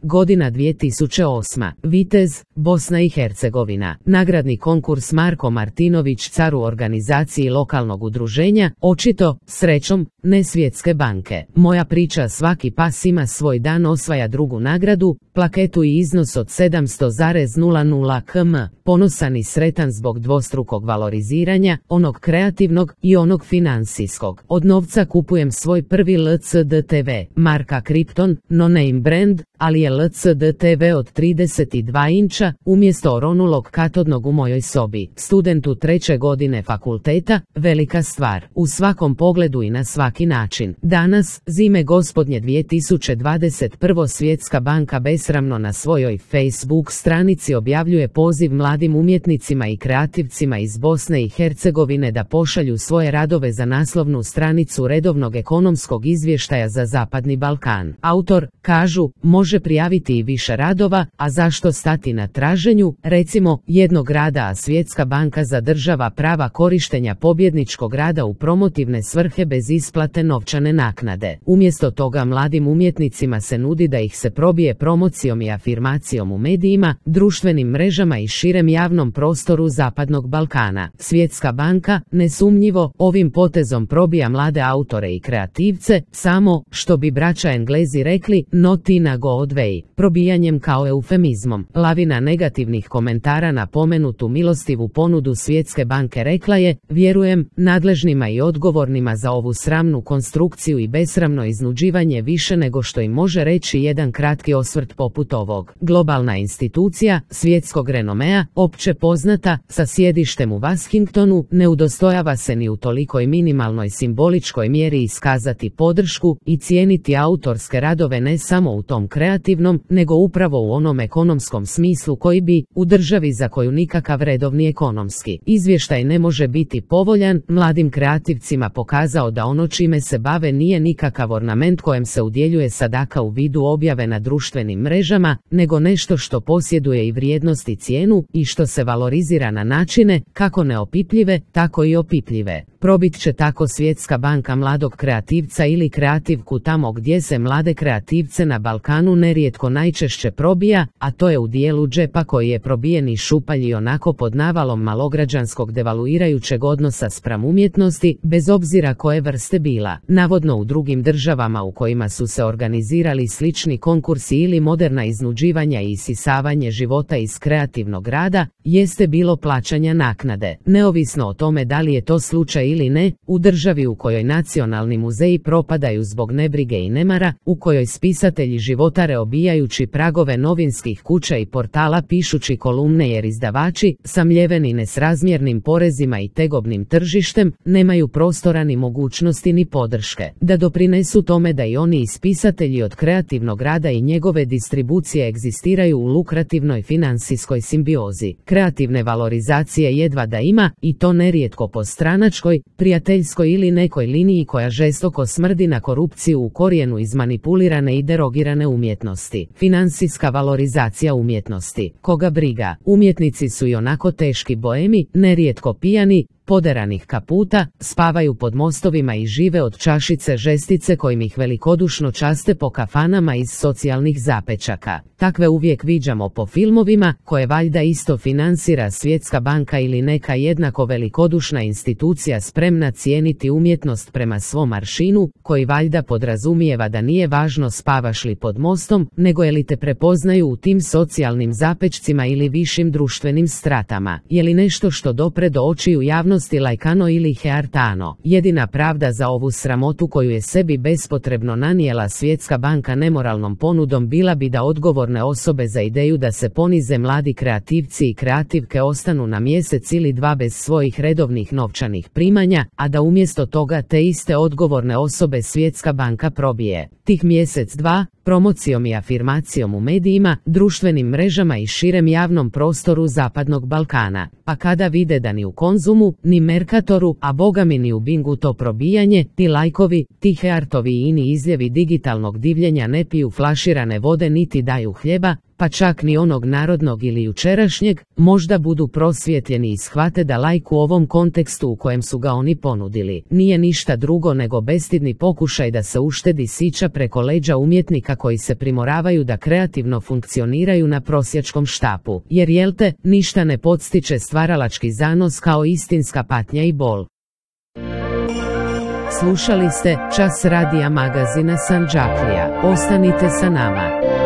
godina 2008. Vitez, Bosna i Hercegovina. Nagradni konkurs Marko Martinović car u organizaciji lokalnog udruženja, očito, srećom, ne Svjetske banke. Moja priča svaki pas ima svoj dan osvaja drugu nagradu, plaketu i iznos od 700,00 km. Ponosan i sretan zbog dvostrukog valoriziranja, onog kreativnog i onog financijskog. Od novca kupujem svoj prvi LCD TV, marka Krypton, no name brand, ali je LCD TV od 32 inča, umjesto oronulog katodnog u mojoj sobi. Studentu 3. godine fakulteta, velika stvar. U svakom pogledu i na svaki način. Danas, zime gospodnje 2021. Svjetska banka besramno na svojoj Facebook stranici objavljuje poziv mladim umjetnicima i kreativcima iz Bosne i Hercegovine da pošalju svoje radove za naslovnu stranicu redovnog ekonomskog izvještaja za Zapadni Balkan. Autor, kažu, može prijaviti i više radova, a zašto stati na traženju, recimo, jednog rada, a Svjetska banka zadržava prava korištenja pobjedničkog rada u promotivne svrhe bez isplate novčane naknade. Umjesto toga mladim umjetnicima se nudi da ih se probije promocijom i afirmacijom u medijima, društvenim mrežama i širem javnom prostoru Zapadnog Balkana. Svjetska banka, nesumnjivo, ovim potezom probija mlade autore i kreativce, samo, što bi braća Englezi rekli, not in a good way, probijanjem kao eufemizmom. Lavina negativnih komentara na pomenutu milostivu ponudu Svjetske banke rekla je, vjerujem, nadležnima i odgovornima za ovu sramnu konstrukciju i besramno iznuđivanje više nego što im može reći jedan kratki osvrt poput ovog. Globalna institucija, svjetskog renomea, opće poznata, sa sjedištem u Washingtonu, ne udostojava se ni u tolikoj minimalnoj simboličkoj mjeri iskazati podršku i cijeniti autorske radove ne samo u tom kreativnom, nego upravo u onom ekonomskom smislu koji bi, u državi za koju nikakav redovni ekonomski izvještaj ne može biti povoljan, mladim kreativcima pokazao da ono čime se bave nije nikakav ornament kojem se udjeljuje sadaka u vidu objave na društvenim mrežama, nego nešto što posjeduje i vrijednost i cijenu i što se valorizira na načine, kako neopipljive, tako i opipljive. Probit će tako Svjetska banka mladog kreativca ili kreativku tamo gdje se mlade kreativce na Balkanu nerijetko najčešće probija, a to je u dijelu džepa koji je probijen i šupalj i onako pod navalom malograđanskog devaluirajućeg odnosa spram umjetnosti, bez obzira koje vrste bila. Navodno u drugim državama u kojima su se organizirali slični konkursi ili moderna iznuđivanja i isisavanje života iz kreativnog rada, jeste bilo plaćanja naknade. Neovisno o tome da li je to slučaj ili ne, u državi u kojoj nacionalni muzeji propadaju zbog nebrige i nemara, u kojoj spisatelji životare obijajući pragove novinskih kuća i portala pišući kolumne jer izdavači, samljeveni nesrazmjernim porezima i tegobnim tržištem, nemaju prostora ni mogućnosti ni podrške da doprinesu tome da i oni ispisatelji od kreativnog rada i njegove distribucije egzistiraju u lukrativnoj financijskoj simbiozi. Kreativne valorizacije jedva da ima, i to nerijetko po stranačkoj, prijateljskoj ili nekoj liniji koja žestoko smrdi na korupciju u korijenu izmanipulirane i derogirane umjetnosti. Financijska valorizacija umjetnosti. Koga briga, umjetnici su i onako teški boemi, nerijetko pijani, poderanih kaputa, spavaju pod mostovima i žive od čašice žestice kojim ih velikodušno časte po kafanama iz socijalnih zapečaka. Takve uvijek viđamo po filmovima, koje valjda isto financira Svjetska banka ili neka jednako velikodušna institucija spremna cijeniti umjetnost prema svom aršinu, koji valjda podrazumijeva da nije važno spavaš li pod mostom, nego je li te prepoznaju u tim socijalnim zapečcima ili višim društvenim stratama. Je li nešto što dopre do očiju javnosti lajkano ili heartano. Jedina pravda za ovu sramotu koju je sebi bespotrebno nanijela Svjetska banka nemoralnom ponudom bila bi da odgovorne osobe za ideju da se ponize mladi kreativci i kreativke ostanu na mjesec ili dva bez svojih redovnih novčanih primanja, a da umjesto toga te iste odgovorne osobe Svjetska banka probije tih mjesec dva promocijom i afirmacijom u medijima, društvenim mrežama i širem javnom prostoru Zapadnog Balkana. Pa kada vide da ni u Konzumu, ni Mercatoru, a bogami ni u Bingu to probijanje, ti lajkovi, ti heartovi i ini izljevi digitalnog divljenja ne piju flaširane vode niti daju hljeba, pa čak ni onog narodnog ili jučerašnjeg, možda budu prosvjetljeni i shvate da lajk u ovom kontekstu u kojem su ga oni ponudili nije ništa drugo nego bestidni pokušaj da se uštedi sića preko leđa umjetnika koji se primoravaju da kreativno funkcioniraju na prosjačkom štapu, jer jel te, ništa ne podstiče stvaralački zanos kao istinska patnja i bol. Slušali ste Čas radija magazina Sandžaklija. Ostanite sa nama.